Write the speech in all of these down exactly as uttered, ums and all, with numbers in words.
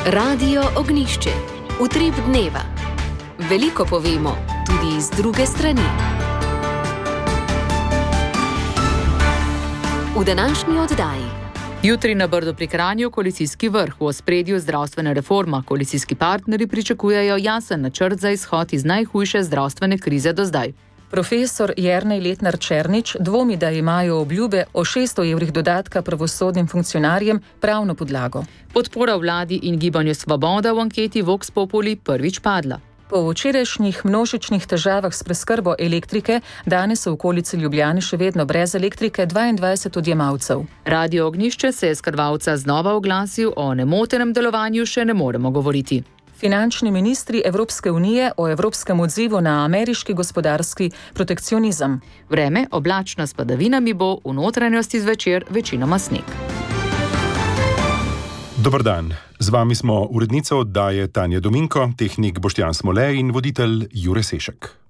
Radio Ognjišče. Utrip dneva. Veliko povemo, tudi iz druge strani. V današnji oddaji. Jutri na Brdu pri Kranju koalicijski vrh, v ospredju zdravstvena reforma. Koalicijski partnerji pričakujejo jasen načrt za izhod iz najhujše zdravstvene krize do zdaj. Profesor Jernej Letnar Černič dvomi, da imajo obljube o šeststo evrih dodatka pravosodnim funkcionarjem pravno podlago. Podpora vladi in gibanju Svoboda v anketi Vox Populi prvič padla. Po včerajšnjih množičnih težavah s preskrbo elektrike, danes so v okolici Ljubljane še vedno brez elektrike dvaindvajset odjemalcev. Radio Ognjišče se je s Krvavca znova oglasil, o nemotenem delovanju še ne moremo govoriti. Finančni ministri Evropske unije o evropskem odzivu na ameriški gospodarski protekcionizem. Vreme oblačno s padavinami bo, v notranjosti zvečer večinoma sneg. Dober dan, z vami smo urednica oddaje Tanja Dominko, tehnik Boštjan Smole in voditelj Jure Sešek.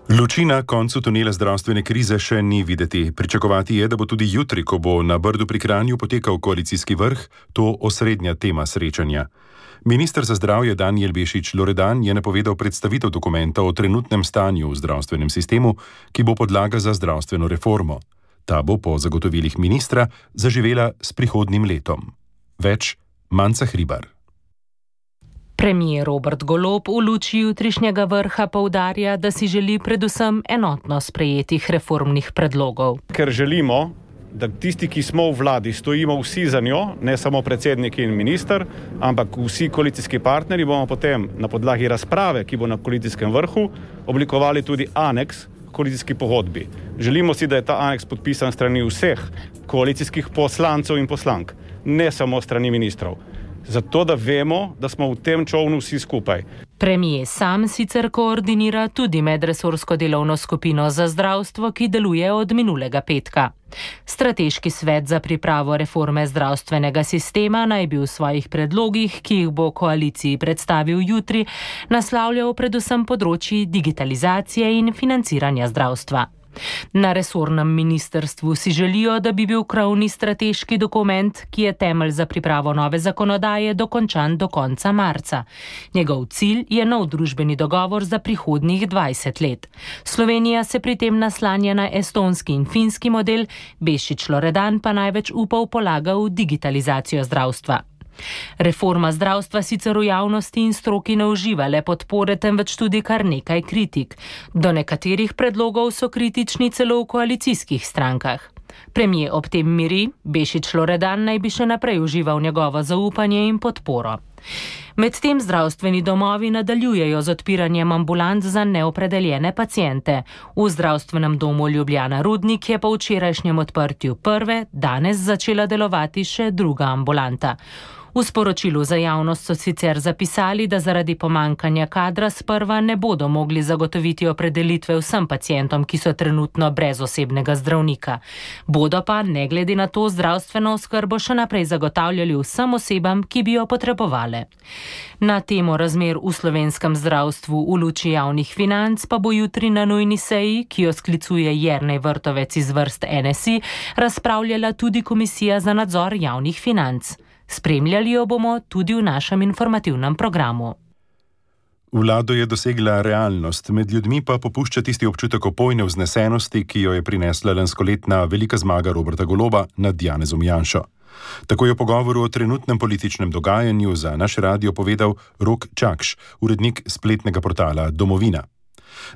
Luči na koncu tunela zdravstvene krize še ni videti. Pričakovati je, da bo tudi jutri, ko bo na Brdu pri Kranju potekal koalicijski vrh, to osrednja tema srečanja. Minister za zdravje Danijel Bešič Loredan je napovedal predstavitev dokumenta o trenutnem stanju v zdravstvenem sistemu, ki bo podlaga za zdravstveno reformo. Ta bo po zagotovilih ministra zaživela s prihodnjim letom. Več Manca Hribar. Premier Robert Golob v luči jutrišnjega vrha poudarja, da si želi predvsem enotno sprejetih reformnih predlogov. Ker želimo, da tisti, ki smo v vladi, stojimo vsi za njo, ne samo predsednik in minister, ampak vsi koalicijski partnerji, bomo potem na podlagi razprave, ki bo na koalicijskem vrhu, oblikovali tudi aneks koalicijski pogodbi. Želimo si, da je ta aneks podpisan strani vseh koalicijskih poslancev in poslank, ne samo strani ministrov. Zato, da vemo, da smo v tem čovnu vsi skupaj. Premier sam sicer koordinira tudi medresorsko delovno skupino za zdravstvo, ki deluje od minulega petka. Strateški svet za pripravo reforme zdravstvenega sistema naj bi v svojih predlogih, ki jih bo koaliciji predstavil jutri, naslavljal predvsem področji digitalizacije in financiranja zdravstva. Na resornem ministrstvu si želijo, da bi bil krovni strateški dokument, ki je temelj za pripravo nove zakonodaje, dokončan do konca marca. Njegov cilj je nov družbeni dogovor za prihodnjih dvajset let. Slovenija se pri tem naslanja na estonski in finski model, Bešič Loredan pa največ upov polaga v digitalizacijo zdravstva. Reforma zdravstva sicer v javnosti in stroki ne uživa le podpore, temveč tudi kar nekaj kritik. Do nekaterih predlogov so kritični celo v koalicijskih strankah. Premier ob tem miri, Bešič Loredan naj bi še naprej užival njegovo zaupanje in podporo. Medtem zdravstveni domovi nadaljujejo z odpiranjem ambulant za neopredeljene paciente. V zdravstvenem domu Ljubljana Rudnik je po včerajšnjem odprtju prve, danes začela delovati še druga ambulanta. V sporočilu za javnost so sicer zapisali, da zaradi pomankanja kadra sprva ne bodo mogli zagotoviti opredelitve vsem pacientom, ki so trenutno brez osebnega zdravnika. Bodo pa, ne glede na to, zdravstveno oskrbo še naprej zagotavljali vsem osebam, ki bi jo potrebovale. Na temo razmer v slovenskem zdravstvu v luči javnih financ pa bo jutri na nujni seji, ki jo sklicuje Jernej Vrtovec iz vrst N S I, razpravljala tudi Komisija za nadzor javnih financ. Spremljali jo bomo tudi v našem informativnem programu. Vlado je dosegla realnost, med ljudmi pa popušča tisti občutek opojne vznesenosti, ki jo je prinesla lanskoletna velika zmaga Roberta Goloba nad Janezom Janšo. Tako je v pogovoru o trenutnem političnem dogajanju za naš radio povedal Rok Čakš, urednik spletnega portala Domovina.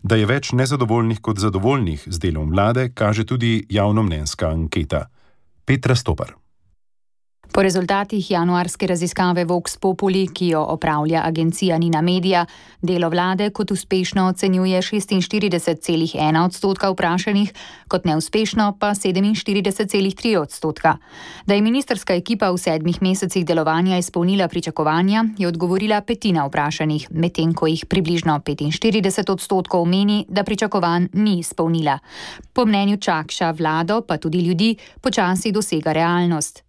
Da je več nezadovoljnih kot zadovoljnih z delom vlade, kaže tudi javnomnenjska anketa. Petra Stopar. Po rezultatih januarske raziskave Vox Populi, ki jo opravlja agencija Nina Media, delo vlade kot uspešno ocenjuje šestinštirideset celih ena odstotka vprašanih, kot neuspešno pa sedeminštirideset celih tri odstotka. Da je ministrska ekipa v sedmih mesecih delovanja izpolnila pričakovanja, je odgovorila petina vprašanih, medtem ko jih približno petinštirideset odstotkov meni, da pričakovanj ni izpolnila. Po mnenju Čakša vlado, pa tudi ljudi, počasi dosega realnost.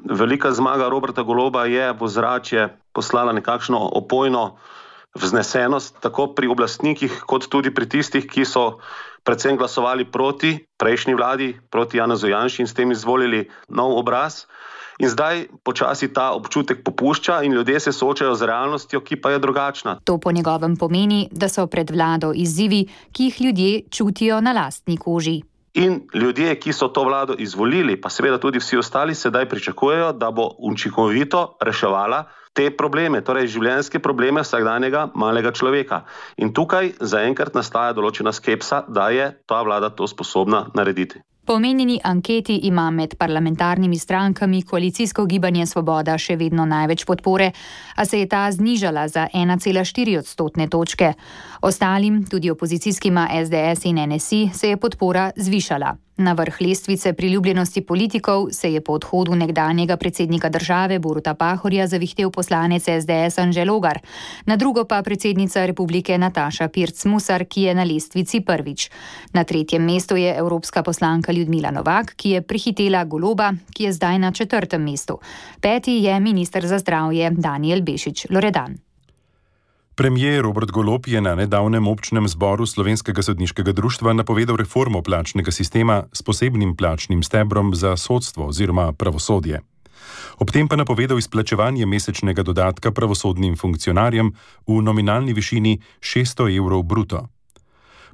Velika zmaga Roberta Goloba je v ozračje poslala nekakšno opojno vznesenost, tako pri oblastnikih, kot tudi pri tistih, ki so predvsem glasovali proti prejšnji vladi, proti Janezu Janši in s tem izvolili nov obraz. In zdaj počasi ta občutek popušča in ljudje se soočajo z realnostjo, ki pa je drugačna. To po njegovem pomeni, da so pred vlado izzivi, ki jih ljudje čutijo na lastni koži. In ljudje, ki so to vlado izvolili, pa seveda tudi vsi ostali, sedaj pričakujejo, da bo učinkovito reševala te probleme, torej življenjske probleme vsakdanjega malega človeka. In tukaj zaenkrat nastaja določena skepsa, da je ta vlada to sposobna narediti. Po omenjeni anketi ima med parlamentarnimi strankami koalicijsko gibanje Svoboda še vedno največ podpore, a se je ta znižala za ena cela štiri odstotne točke. Ostalim, tudi opozicijskima S D S in N S I, se je podpora zvišala. Na vrh lestvice priljubljenosti politikov se je po odhodu nekdanjega predsednika države Boruta Pahorja zavihtel poslanec S D S Anže Logar, na drugo pa predsednica republike Nataša Pirc Musar, ki je na lestvici prvič. Na tretjem mestu je evropska poslanka Ljudmila Novak, ki je prehitela Goloba, ki je zdaj na četrtem mestu. Peti je minister za zdravje Danijel Bešič Loredan. Premier Robert Golob je na nedavnem občnem zboru Slovenskega sodniškega društva napovedal reformo plačnega sistema s posebnim plačnim stebrom za sodstvo oziroma pravosodje. Ob tem pa napovedal izplačevanje mesečnega dodatka pravosodnim funkcionarjem v nominalni višini šeststo evrov bruto.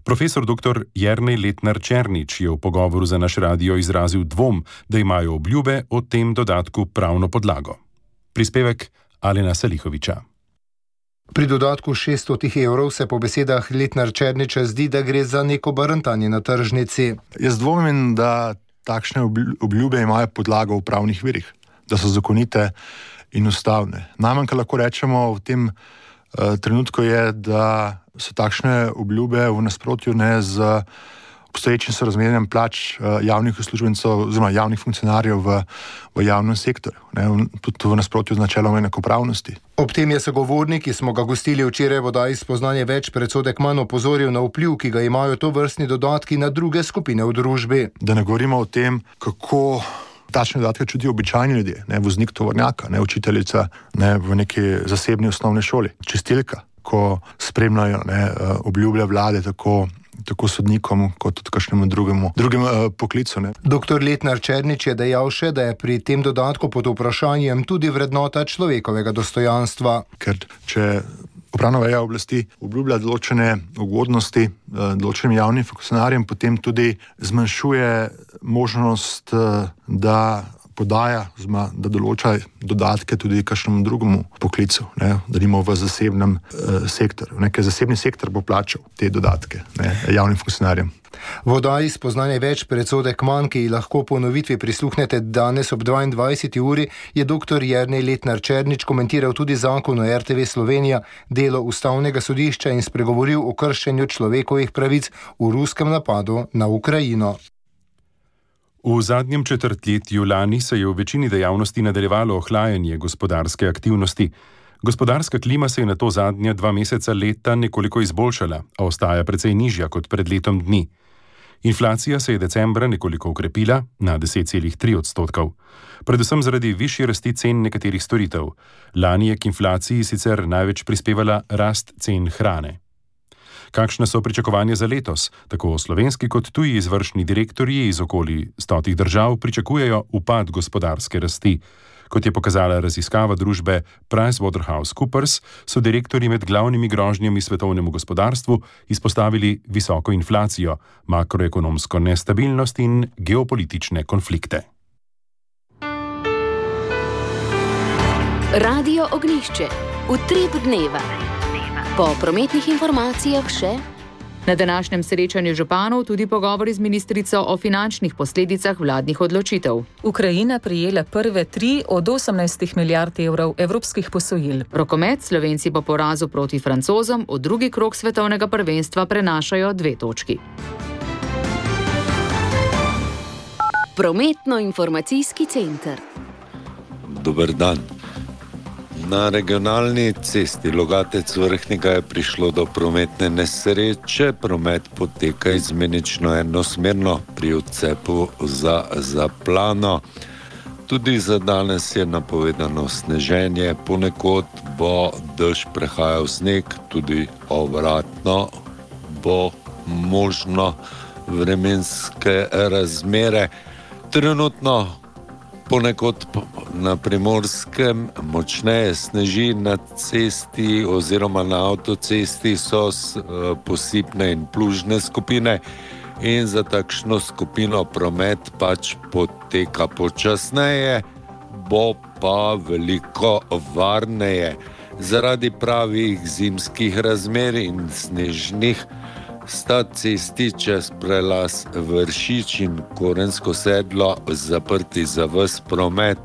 Profesor doktor Jernej Letnar Černič je v pogovoru za naš radio izrazil dvom, da imajo obljube o tem dodatku pravno podlago. Prispevek Alena Salihoviča. Pri dodatku šeststo evrov se po besedah Letnar Černiča zdi, da gre za neko barantanje na tržnici. Jaz dvomim, da takšne obljube imajo podlago v pravnih virih, da so zakonite in ustavne. Najmanj, kar lahko rečemo v tem uh, trenutku je, da so takšne obljube v nasprotju ne z obstoječim sorazmerjem plač uh, javnih uslužbencev oziroma javnih funkcionarjev v, v javnem sektorju, ne, tudi v nasprotju z načelom enakopravnosti. Ob tem je sogovornik, ki smo ga gostili včeraj v oddaji Spoznanje več, predsodek manj opozoril na vpliv, ki ga imajo tovrstni dodatki na druge skupine v družbi. Da ne govorimo o tem, kako takšne dodatke čutijo običajni ljudje, ne, voznik tovornjaka, ne, učiteljica ne, v neki zasebni osnovni šoli, čistilka, ko spremljajo ne, obljube vlade tako tako sodnikom, kot tudi kakšnemu drugemu, drugemu uh, poklicu. Ne. Doktor Letnar Černič je dejal še, da je pri tem dodatku pod vprašanjem tudi vrednota človekovega dostojanstva. Ker če upravna veja oblasti obljublja določene ugodnosti uh, določenim javnim funkcionarjem, potem tudi zmanjšuje možnost, uh, da podaja, zma, da določa dodatke tudi kakšnemu drugemu poklicu, ne, da nimo v zasebnem uh, sektorju. Nekaj zasebni sektor bo plačal te dodatke ne, javnim funkcionarjem. V oddaji Spoznanje več, predsodek manj, ki lahko po ponovitvi prisluhnete danes ob dvaindvajseti uri, je doktor Jernej Letnar Černič komentiral tudi zakon o R T V Slovenija, delo ustavnega sodišča in spregovoril o kršenju človekovih pravic v ruskem napadu na Ukrajino. V zadnjem četrtletju lani se je v večini dejavnosti nadaljevalo ohlajanje gospodarske aktivnosti. Gospodarska klima se je na to zadnja dva meseca leta nekoliko izboljšala, a ostaja precej nižja kot pred letom dni. Inflacija se je decembra nekoliko ukrepila na deset celih tri odstotkov, predvsem zaradi višje rasti cen nekaterih storitev. Lani je k inflaciji sicer največ prispevala rast cen hrane. Kakšne so pričakovanja za letos? Tako slovenski kot tuji izvršni direktorji iz okoli stotih držav pričakujejo upad gospodarske rasti. Kot je pokazala raziskava družbe PricewaterhouseCoopers, so direktorji med glavnimi grožnjami svetovnemu gospodarstvu izpostavili visoko inflacijo, makroekonomsko nestabilnost in geopolitične konflikte. Radio Ognjišče. Utrip dneva. Po prometnih informacijah še. Na današnjem srečanju županov tudi pogovori z ministrico o finančnih posledicah vladnih odločitev. Ukrajina prijela prve tri od osemnajstih milijard evrov evropskih posojil. Rokomet Slovenci po porazu proti Francozom v drugi krog svetovnega prvenstva prenašajo dve točki. Prometno-informacijski center. Dober dan. Na regionalni cesti Logatec-Vrhnika je prišlo do prometne nesreče. Promet poteka izmenično enosmerno pri odcepu za Zaplano. Tudi za danes je napovedano sneženje, ponekod bo dež prehajal sneg, tudi obratno bo možno vremenske razmere. Trenutno ponekod na Primorskem močneje sneži, na cesti oziroma na avtocesti so posipne in plužne skupine in za takšno skupino promet pač poteka počasneje, bo pa veliko varneje. Zaradi pravih zimskih razmer in snežnih sta cesti čez prelaz Vršič in Korensko sedlo zaprti za ves promet.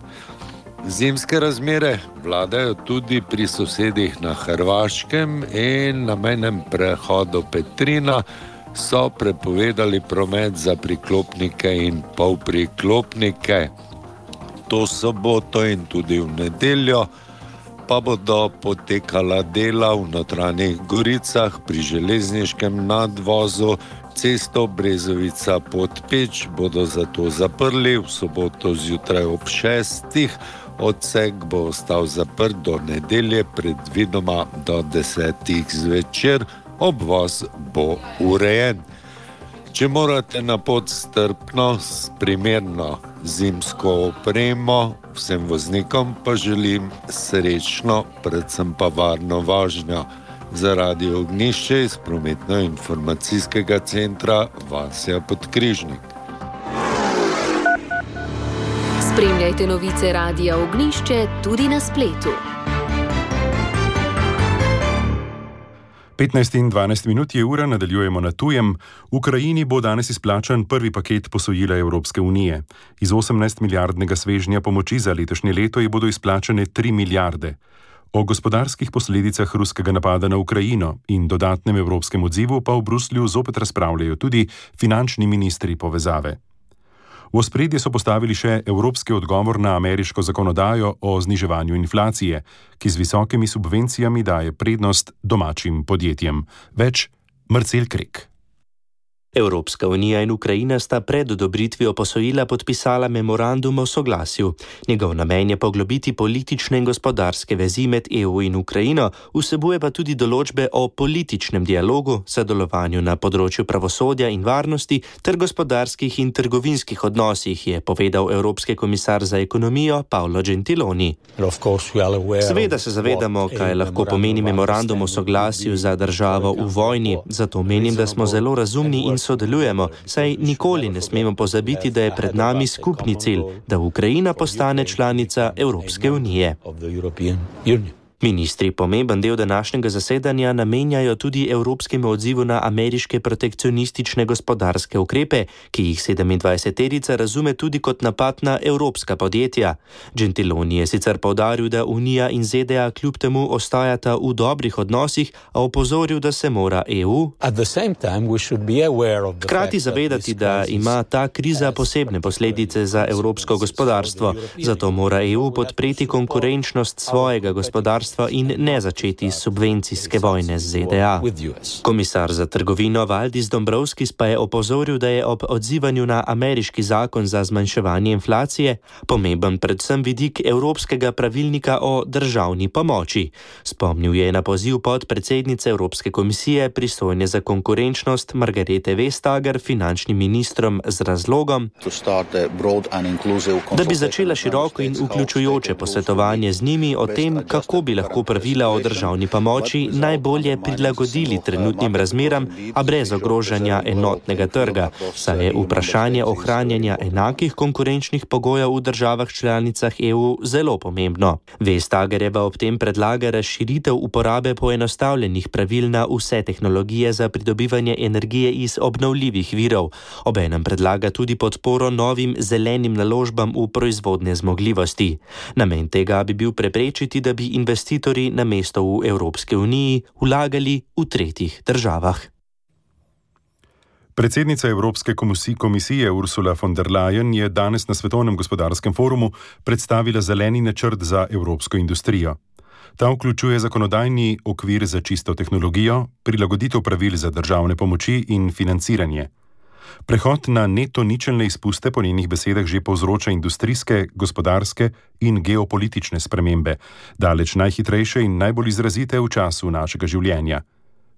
Zimske razmere vladajo tudi pri sosedih na Hrvaškem in na mejnem prehodu Petrina so prepovedali promet za priklopnike in polpriklopnike. To soboto in tudi v nedeljo pa bodo potekala dela v Notranjih Goricah pri železniškem nadvozu. Cesto Brezovica-Podpeč bodo zato zaprli v soboto zjutraj ob šestih. Odsek bo ostal zaprt do nedelje, predvidoma do desetih zvečer. Obvoz bo urejen. Če morate na pot strpno, s primerno zimsko opremo, vsem voznikom pa želim srečno, predvsem pa varno vožnjo. Za Radio Ognjišče iz prometno-informacijskega centra Vasja Podkrižnik. Spremljajte novice Radia Ognjišče tudi na spletu. petnajst in dvanajst minut je ura, nadaljujemo na tujem. Ukrajini bo danes izplačan prvi paket posojila Evropske unije. Iz osemnajst milijardnega svežnja pomoči za letošnje leto je bodo izplačane tri milijarde. O gospodarskih posledicah ruskega napada na Ukrajino in dodatnem evropskem odzivu pa v Bruslju zopet razpravljajo tudi finančni ministri povezave. V ospredje so postavili še evropski odgovor na ameriško zakonodajo o zniževanju inflacije, ki z visokimi subvencijami daje prednost domačim podjetjem. Več Marcel Krek. Evropska unija in Ukrajina sta pred odobritvijo posojila podpisala memorandum o soglasju. Njegov namen je poglobiti politične in gospodarske vezi med E U in Ukrajino, vsebuje pa tudi določbe o političnem dialogu, sodelovanju na področju pravosodja in varnosti ter gospodarskih in trgovinskih odnosih, je povedal Evropski komisar za ekonomijo Paolo Gentiloni. Seveda se zavedamo, kaj lahko pomeni memorandum o soglasju za državo v vojni, zato menim, da smo zelo razumni in sodelujemo, saj nikoli ne smemo pozabiti, da je pred nami skupni cilj, da Ukrajina postane članica Evropske unije. Ministri pomemben del današnjega zasedanja namenjajo tudi evropskemu odzivu na ameriške protekcionistične gospodarske ukrepe, ki jih sedemindvajseterica razume tudi kot napad na evropska podjetja. Gentiloni je sicer poudaril, da Unija in Z D A kljub temu ostajata v dobrih odnosih, a opozoril, da se mora E U hkrati zavedati, da ima ta kriza posebne posledice za evropsko gospodarstvo, zato mora E U podpreti konkurenčnost svojega gospodarstva in ne začeti subvencijske vojne z Z D A. Komisar za trgovino Valdis Dombrovskis pa je opozoril, da je ob odzivanju na ameriški zakon za zmanjševanje inflacije pomemben predvsem vidik Evropskega pravilnika o državni pomoči. Spomnil je na poziv podpredsednice Evropske komisije pristojne za konkurenčnost Margarete Vestager finančnim ministrom z razlogom, da bi začela široko in vključujoče posvetovanje z njimi o tem, kako bi lahko pravila o državni pomoči najbolje prilagodili trenutnim razmeram, a brez ogrožanja enotnega trga, saj je vprašanje ohranjanja enakih konkurenčnih pogojev v državah članicah E U zelo pomembno. Vestagerjeva ob tem predlaga razširitev uporabe poenostavljenih pravil na vse tehnologije za pridobivanje energije iz obnovljivih virov. Obenem predlaga tudi podporo novim zelenim naložbam v proizvodne zmogljivosti. Namen tega bi bil preprečiti, da bi investitorji na mesto v Evropske uniji vlagali v tretjih državah. Predsednica Evropske komisije Ursula von der Leyen je danes na Svetovnem gospodarskem forumu predstavila zeleni načrt za evropsko industrijo. Ta vključuje zakonodajni okvir za čisto tehnologijo, prilagoditev pravil za državne pomoči in financiranje. Prehod na neto ničelne izpuste po njenih besedah že povzroča industrijske, gospodarske in geopolitične spremembe, daleč najhitrejše in najbolj izrazite v času našega življenja.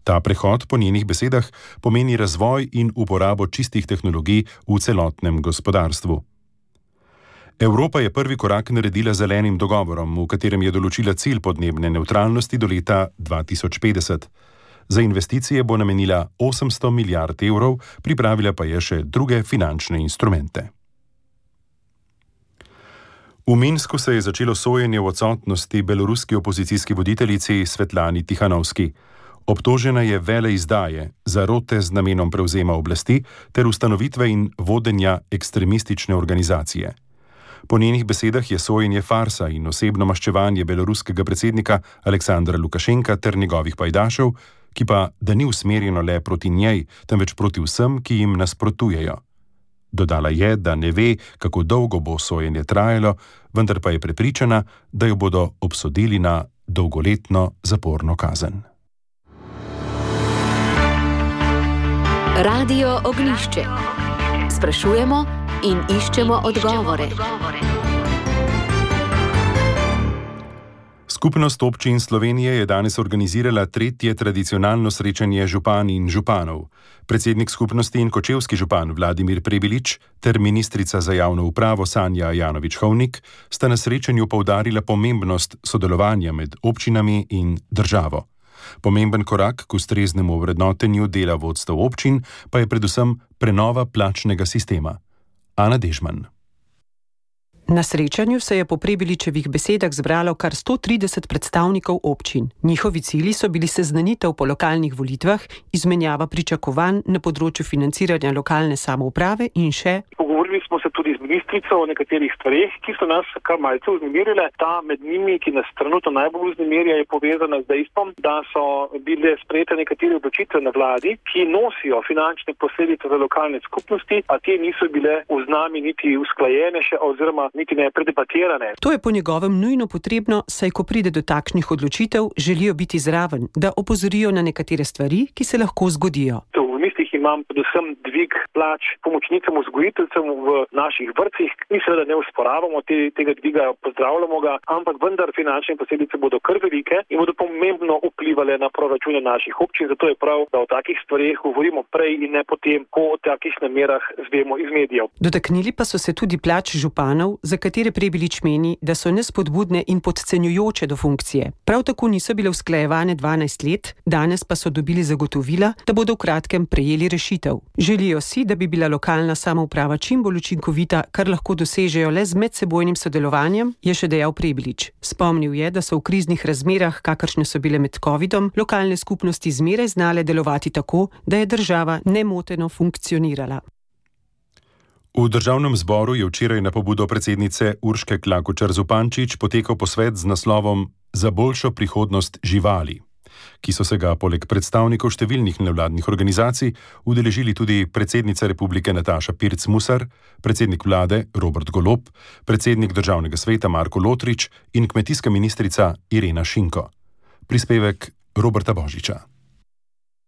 Ta prehod po njenih besedah pomeni razvoj in uporabo čistih tehnologij v celotnem gospodarstvu. Evropa je prvi korak naredila z zelenim dogovorom, v katerem je določila cilj podnebne nevtralnosti do leta dva tisoč petdeset. Za investicije bo namenila osemsto milijard evrov, pripravila pa je še druge finančne instrumente. V Minsku se je začelo sojenje v odsotnosti beloruski opozicijski voditeljici Svetlani Tihanovski. Obtožena je veleizdaje, zarote z namenom prevzema oblasti ter ustanovitve in vodenja ekstremistične organizacije. Po njenih besedah je sojenje farsa in osebno maščevanje beloruskega predsednika Aleksandra Lukašenka ter njegovih pajdašev, ki pa da ni usmerjeno le proti njej, temveč proti vsem, ki jim nasprotujejo. Dodala je, da ne ve, kako dolgo bo sojenje trajalo, vendar pa je prepričana, da jo bodo obsodili na dolgoletno zaporno kazen. Radio Ognjišče. Sprašujemo in iščemo odgovore. Skupnost občin Slovenije je danes organizirala tretje tradicionalno srečanje župan in županov. Predsednik skupnosti in kočevski župan Vladimir Prebilič ter ministrica za javno upravo Sanja Ajanović-Hovnik sta na srečanju poudarila pomembnost sodelovanja med občinami in državo. Pomemben korak k ustreznemu vrednotenju dela vodstev občin pa je predvsem prenova plačnega sistema. Ana Dežman. Na srečanju se je po Prebiličevih besedah zbralo kar sto trideset predstavnikov občin. Njihovi cilji so bili seznanitev po lokalnih volitvah, izmenjava pričakovanj na področju financiranja lokalne samouprave in še. Pogovorili smo se tudi z ministrico o nekaterih stvareh, ki so nas kar malce vznemirile. Ta med njimi, ki nas trenutno najbolj vznemirja, je povezana z dejstvom, da so bile sprejete nekatere odločitve na vladi, ki nosijo finančne posledice za lokalne skupnosti, a te niso bile v znami niti usklajene še oziroma niti ne predebatirane. To je po njegovem nujno potrebno, saj ko pride do takšnih odločitev, želijo biti zraven, da opozorijo na nekatere stvari, ki se lahko zgodijo. V mislih imam predvsem dvig plač pomočnicam vzgojiteljcem v naših vrtcih. Mi seveda ne usporavamo te, tega dviga, pozdravljamo ga, ampak vendar finančne posledice bodo kar velike in bodo pomembno vplivale na proračune naših občin. Zato je prav, da o takih stvareh govorimo prej in ne potem, ko o takih namerah zvemo iz medijev. Dotaknili pa so se tudi plač županov, za katere Prebilič meni, da so nespodbudne in podcenjujoče do funkcije. Prav tako niso bile usklajevane dvanajst let, danes pa so dobili zagotovila, da bodo v kratkem prejeli rešitev. Želijo si, da bi bila lokalna samouprava čim bolj učinkovita, kar lahko dosežejo le z medsebojnim sodelovanjem, je še dejal Prebilič. Spomnil je, da so v kriznih razmerah, kakršne so bile med covidom, lokalne skupnosti zmeraj znale delovati tako, da je država nemoteno funkcionirala. V državnem zboru je včeraj na pobudo predsednice Urške Klakočar Zupančič potekal posvet z naslovom Za boljšo prihodnost živali, ki so se ga poleg predstavnikov številnih nevladnih organizacij udeležili tudi predsednica republike Nataša Pirc Musar, predsednik vlade Robert Golob, predsednik državnega sveta Marko Lotrič in kmetijska ministrica Irena Šinko. Prispevek Roberta Božiča.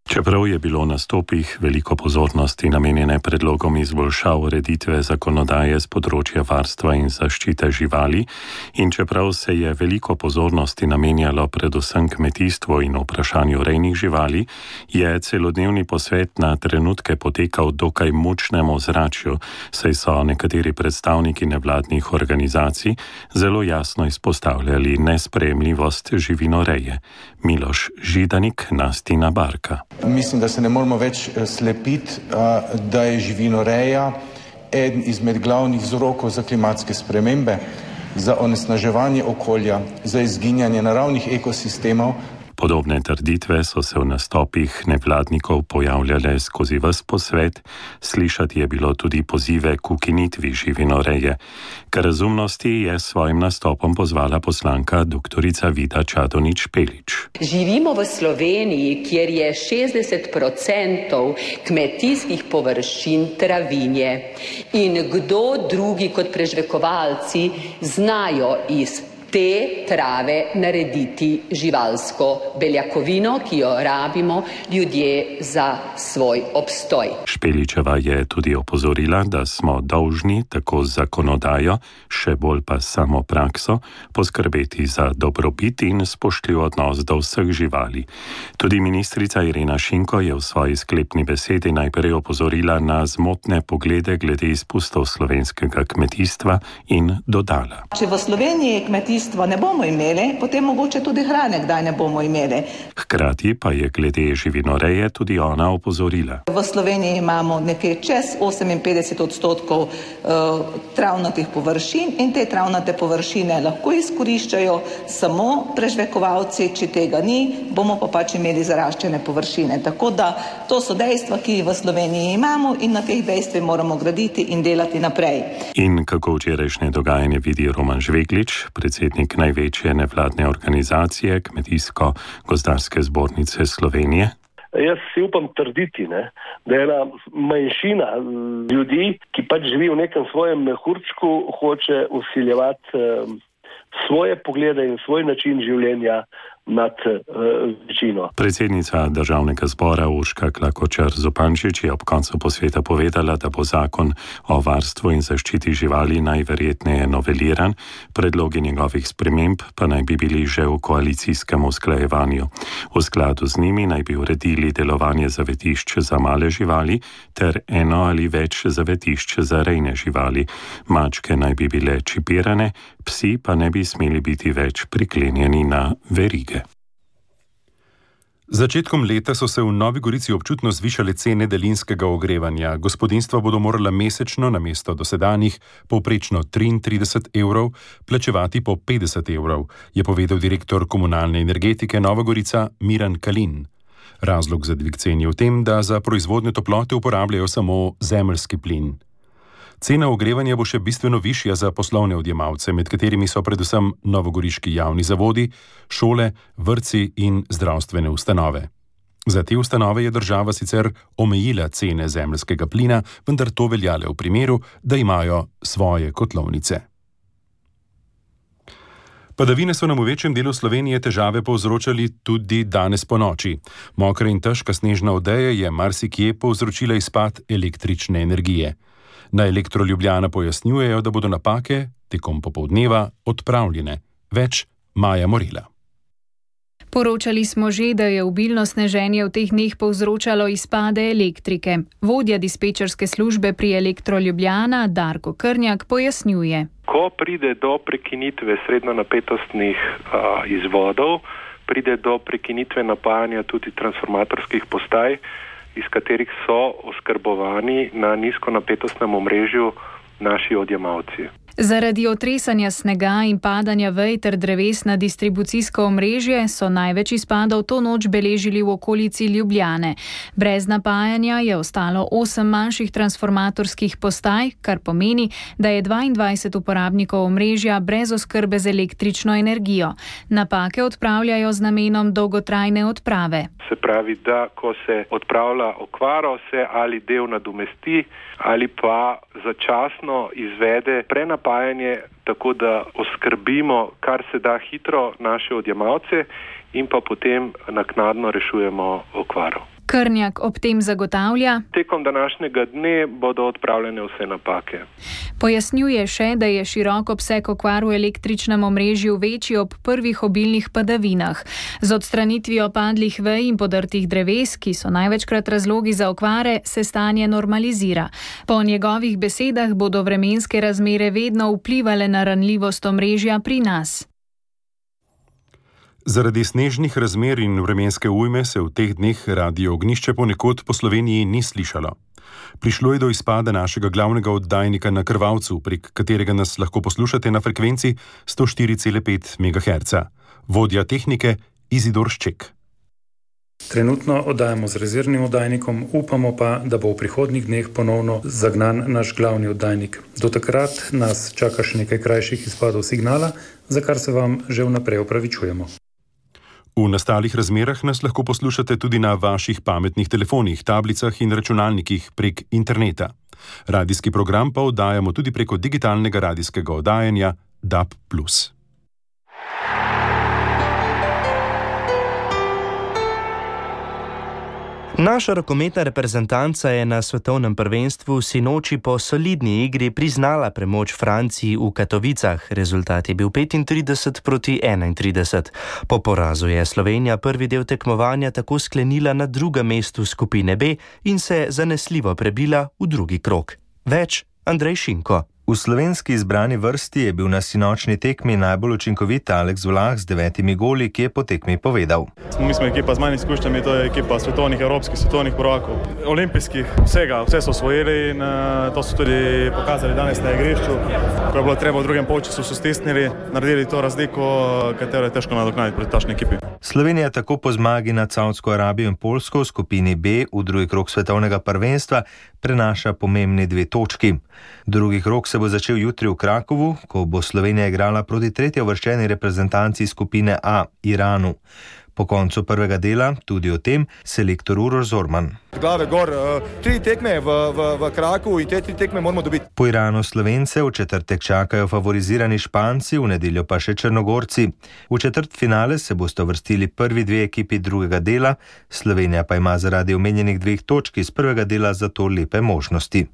Čeprav je bilo na stopih veliko pozornosti namenjene predlogom izboljšav ureditve zakonodaje z področja varstva in zaščite živali in čeprav se je veliko pozornosti namenjalo predvsem kmetijstvu in vprašanju rejnih živali, je celodnevni posvet na trenutke potekal dokaj mučnem ozračju, saj so nekateri predstavniki nevladnih organizacij zelo jasno izpostavljali nesprejemljivost živinoreje. Miloš Židanik, Nastina Barka. Mislim, da se ne moramo več slepiti, da je živinoreja eden izmed glavnih vzrokov za klimatske spremembe, za onesnaževanje okolja, za izginjanje naravnih ekosistemov. Podobne trditve so se v nastopih nevladnikov pojavljale skozi ves posvet, slišati je bilo tudi pozive k ukinitvi živinoreje. K razumnosti je s svojim nastopom pozvala poslanka doktorica Vida Čadonič Špelič. Živimo v Sloveniji, kjer je šestdeset procentov kmetijskih površin travinje. In kdo drugi kot prežvekovalci znajo iz te trave narediti živalsko beljakovino, ki jo rabimo ljudje za svoj obstoj. Špeličeva je tudi opozorila, da smo dolžni tako zakonodajo, še bolj pa samo prakso, poskrbeti za dobrobit in spoštljiv odnos do vseh živali. Tudi ministrica Irena Šinko je v svoji sklepni besedi najprej opozorila na zmotne poglede glede izpustov slovenskega kmetijstva in dodala. Če v Sloveniji kmetijstva ne bomo imeli, potem mogoče tudi hrane kdaj ne bomo imeli. Hkrati pa je glede živinoreje tudi ona opozorila. V Sloveniji imamo nekaj čez oseminpetdeset odstotkov uh, travnatih površin in te travnate površine lahko izkoriščajo samo prežvekovalci, če tega ni, bomo pa pač imeli zaraščene površine. Tako da to so dejstva, ki v Sloveniji imamo in na teh dejstvih moramo graditi in delati naprej. In kako včerajšnje dogajanje vidi Roman Žveglič, predsednik največje nevladne organizacije Kmetijsko-gozdarske zbornice Slovenije? Jaz si upam trditi, ne, da je ena manjšina ljudi, ki pač živi v nekem svojem mehurčku, hoče vsiljevati eh, svoje poglede in svoj način življenja nad uh, večino. Predsednica Državnega zbora Urška Klakočar Zupančič je ob koncu posveta povedala, da bo zakon o varstvu in zaščiti živali najverjetneje noveliran, predlogi njegovih sprememb pa naj bi bili že v koalicijskem usklajevanju. V skladu z njimi naj bi uredili delovanje zavetišč za male živali ter eno ali več zavetišč za rejne živali. Mačke naj bi bile čipirane, psi pa ne bi smeli biti več priklenjeni na verige. Začetkom leta so se v Novi Gorici občutno zvišale cene daljinskega ogrevanja. Gospodinjstva bodo morala mesečno namesto dosedanjih povprečno triintrideset evrov plačevati po petdeset evrov, je povedal direktor komunalne energetike Nova Gorica Miran Kalin. Razlog za dvig cen je v tem, da za proizvodnjo toplote uporabljajo samo zemeljski plin. Cena ogrevanja bo še bistveno višja za poslovne odjemalce, med katerimi so predvsem novogoriški javni zavodi, šole, vrtci in zdravstvene ustanove. Za te ustanove je država sicer omejila cene zemeljskega plina, vendar to velja le v primeru, da imajo svoje kotlovnice. Padavine so nam v večjem delu Slovenije težave povzročali tudi danes ponoči. Mokra in težka snežna odeja je marsikje povzročila izpad električne energije. Na Elektro Ljubljana pojasnjujejo, da bodo napake tekom popoldneva odpravljene. Več Maja Morila. Poročali smo že, da je obilno sneženje v teh dneh povzročalo izpade elektrike. Vodja dispečerske službe pri Elektro Ljubljana Darko Krnjak pojasnjuje. Ko pride do prekinitve srednjonapetostnih uh, izvodov, pride do prekinitve napajanja tudi transformatorskih postaj, iz katerih so oskrbovani na nizkonapetostnem omrežju naši odjemalci. Zaradi otresanja snega in padanja vej ter dreves na distribucijsko omrežje so največ izpadov to noč beležili v okolici Ljubljane. Brez napajanja je ostalo osem manjših transformatorskih postaj, kar pomeni, da je dvaindvajset uporabnikov omrežja brez oskrbe z električno energijo. Napake odpravljajo z namenom dolgotrajne odprave. Se pravi, da ko se odpravlja okvaro, se ali del nadomesti ali pa začasno izvede prenapajanje, tako da oskrbimo kar se da hitro naše odjemalce in pa potem naknadno rešujemo okvaro. Krnjak ob tem zagotavlja: Tekom današnjega dne bodo odpravljene vse napake. Pojasnjuje še, da je širok obseg okvar v električnem omrežju večji ob prvih obilnih padavinah. Z odstranitvijo padlih vej in podrtih dreves, ki so največkrat razlogi za okvare, se stanje normalizira. Po njegovih besedah bodo vremenske razmere vedno vplivale na ranljivost omrežja pri nas. Zaradi snežnih razmer in vremenske ujme se v teh dneh radio Ognjišče ponekod po Sloveniji ni slišalo. Prišlo je do izpada našega glavnega oddajnika na Krvavcu, prek katerega nas lahko poslušate na frekvenci sto štiri cela pet megaherca. Vodja tehnike Izidor Šček. Trenutno oddajamo z rezervnim oddajnikom, upamo pa, da bo v prihodnjih dneh ponovno zagnan naš glavni oddajnik. Do takrat nas čaka še nekaj krajših izpadov signala, za kar se vam že vnaprej opravičujemo. V nastalih razmerah nas lahko poslušate tudi na vaših pametnih telefonih, tablicah in računalnikih prek interneta. Radijski program pa oddajamo tudi preko digitalnega radijskega oddajanja D A B plus. Naša rokometna reprezentanca je na svetovnem prvenstvu sinoči po solidni igri priznala premoč Franciji v Katovicah. Rezultat je bil petintrideset proti enaintrideset. Po porazu je Slovenija prvi del tekmovanja tako sklenila na drugem mestu skupine B in se zanesljivo prebila v drugi krog. Več Andrej Šinko. V slovenski izbrani vrsti je bil na sinočni tekmi najbolj učinkovit Aleks Vlah z devetimi goli, ki je po tekmi povedal. Mi smo ekipa z manj izkušnjami, to je ekipa svetovnih, evropskih, svetovnih prvakov, olimpijskih, vsega, vse so osvojili in uh, to so tudi pokazali danes na igrišču. Ko je bilo treba v drugem polčasu, so stisnili, naredili to razliko, katero je težko nadoknaditi proti takšni ekipi. Slovenija tako po zmagi nad Saudsko Arabijo in Poljsko v skupini B v drugi krog svetovnega prvenstva prenaša pomembni dve točki. Drugi krog se bo začel jutri v Krakovu, ko bo Slovenija igrala proti tretjo uvrščeni reprezentanci skupine A, Iranu. Po koncu prvega dela tudi o tem selektor Uroš Zorman. Glave gor, tri tekme v, v, v Krakovu in te tri tekme moramo dobiti. Po Iranu Slovence v četrtek čakajo favorizirani Španci, v nedeljo pa še Črnogorci. V četrtfinale se boste uvrstili prvi dve ekipi drugega dela, Slovenija pa ima zaradi omenjenih dveh točk iz prvega dela zato lepe možnosti.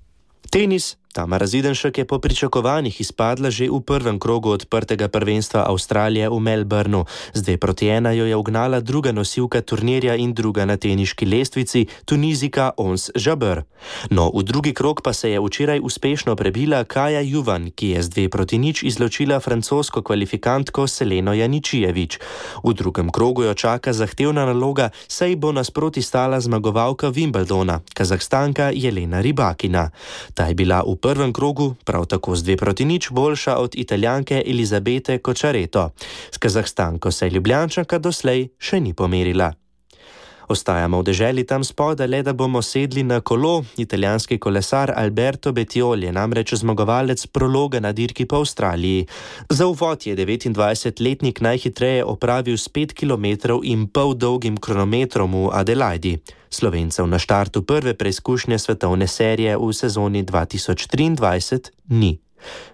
Tenis. Tamara Zidenšek je po pričakovanjih izpadla že v prvem krogu odprtega prvenstva Avstralije v Melbourneu. Z dve proti ena jo je ugnala druga nosilka turnirja in druga na teniški lestvici, Tunizika Ons Jabeur. No, v drugi krog pa se je včeraj uspešno prebila Kaja Juvan, ki je z dve proti nič izločila francosko kvalifikantko Seleno Janičijevič. V drugem krogu jo čaka zahtevna naloga, saj bo nasproti stala zmagovalka Wimbledona, Kazahstanka Jelena Rybakina. Ta je bila v prvem krogu prav tako z dve proti nič boljša od Italijanke Elizabete Kočareto. S Kazahstanko se Ljubljančanka doslej še ni pomerila. Ostajamo v deželi tam spodaj, le da bomo sedli na kolo. Italijanski kolesar Alberto Bettiol je namreč zmagovalec prologa na dirki po Avstraliji. Za uvod je devetindvajsetletnik najhitreje opravil s pet kilometrov in pol dolgim kronometrom v Adelaidi. Slovencev na štartu prve preizkušnje svetovne serije v sezoni dva tisoč triindvajset ni.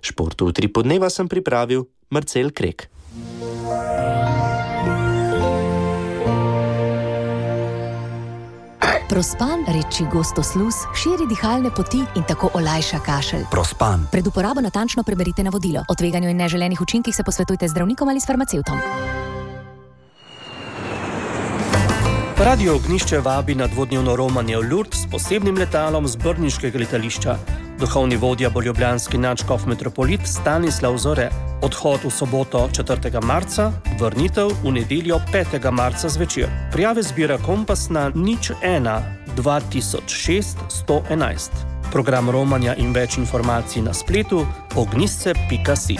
Športu v tri podneva sem pripravil Marcel Krek. Prospan, reči gostosluz, širi dihalne poti in tako olajša kašelj. Prospan. Pred uporabo natančno preberite navodilo. O tveganju in neželenih učinkih se posvetujte z zdravnikom ali s farmacevtom. Radio Ognjišče vabi na dvodnevno romanje v Lourdes s posebnim letalom z brniškega letališča. Duhovni vodja bo ljubljanski nadškof metropolit Stanislav Zore. Odhod v soboto četrtega marca, vrnitev v nedeljo petega marca zvečer. Prijave zbira Kompas na nič ena dva tisoč šest sto enajst. Program romanja in več informacij na spletu ognjišče pika si.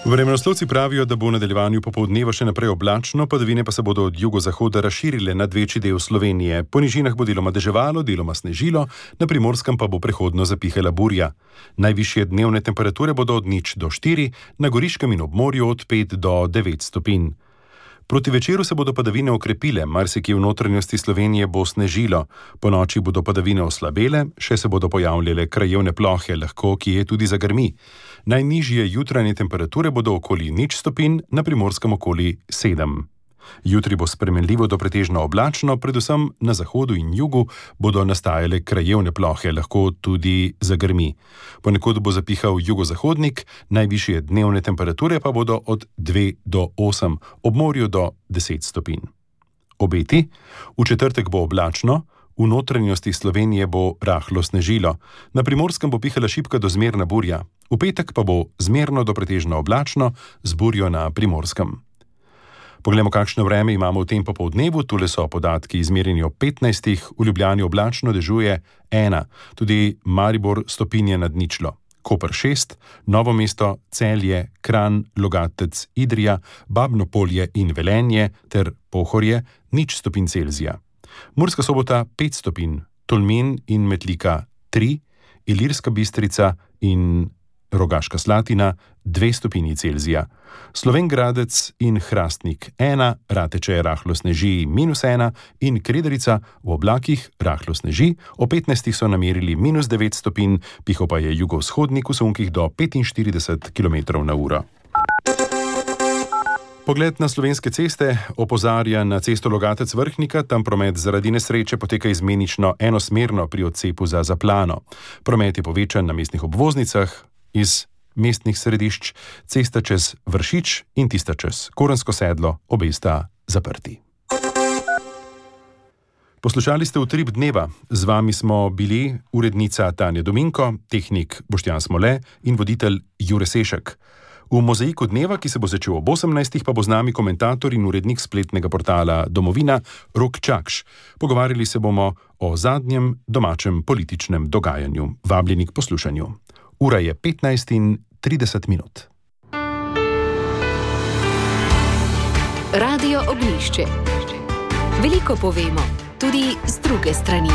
Vremenoslovci pravijo, da bo v nadaljevanju popoldneva še naprej oblačno, padavine pa se bodo od jugozahoda razširile nad večji del Slovenije. Po nižinah bo deloma deževalo, deloma snežilo, na Primorskem pa bo prehodno zapihala burja. Najvišje dnevne temperature bodo od nič do štiri, na Goriškem in ob morju od pet do devet stopinj. Proti večeru se bodo padavine okrepile, marsikje v notranjosti Slovenije bo snežilo. Po noči bodo padavine oslabele, še se bodo pojavljale krajevne plohe, lahko kje tudi zagrmi. Najnižje jutranje temperature bodo okoli nič stopinj, na Primorskem okoli sedem. Jutri bo spremenljivo do pretežno oblačno, predvsem na zahodu in jugu bodo nastajale krajevne plohe, lahko tudi zagrmi. Ponekod bo zapihal jugozahodnik, najvišje dnevne temperature pa bodo od dve do osem, ob morju do deset stopinj. Obeti: v četrtek bo oblačno, v notranjosti Slovenije bo rahlo snežilo, na Primorskem bo pihala šibka do zmerna burja, v petek pa bo zmerno do pretežno oblačno z burjo na Primorskem. Poglejmo, kakšno vreme imamo v tem popoldnevu. Tule so podatki izmerjeni ob petnajstih, v Ljubljani oblačno, dežuje ena, tudi Maribor stopinje nad ničlo, Koper šest, Novo mesto, Celje, Kranj, Logatec, Idrija, Babno Polje in Velenje ter Pohorje nič stopinj Celzija. Murska Sobota pet stopinj, Tolmin in Metlika tri, Ilirska Bistrica in Rogaška Slatina dve stopinji Celzija. Slovenj Gradec in Hrastnik ena, Rateče rahlo sneži minus ena in Krederica v oblakih rahlo sneži, o petnajstih so namerili minus devet stopinj, piho pa je jugovzhodnik v sunkih do petinštirideset kilometrov na uro. Pogled na slovenske ceste opozarja na cesto Logatec-Vrhnika, tam promet zaradi nesreče poteka izmenično enosmerno pri odcepu za Zaplano. Promet je povečan na mestnih obvoznicah iz mestnih središč, cesta čez Vršič in tista čez Korensko sedlo, obe sta zaprti. Poslušali ste Utrip dneva, z vami smo bili urednica Tanja Dominko, tehnik Boštjan Smole in voditelj Jure Sešek. V mozaiku dneva, ki se bo začel ob osemnajstih, pa bo z nami komentator in urednik spletnega portala Domovina Rok Čakš. Pogovarjali se bomo o zadnjem domačem političnem dogajanju. Vabljeni k poslušanju. Ura je petnajst in trideset minut. Radio Ognjišče. Veliko povemo, tudi z druge strani.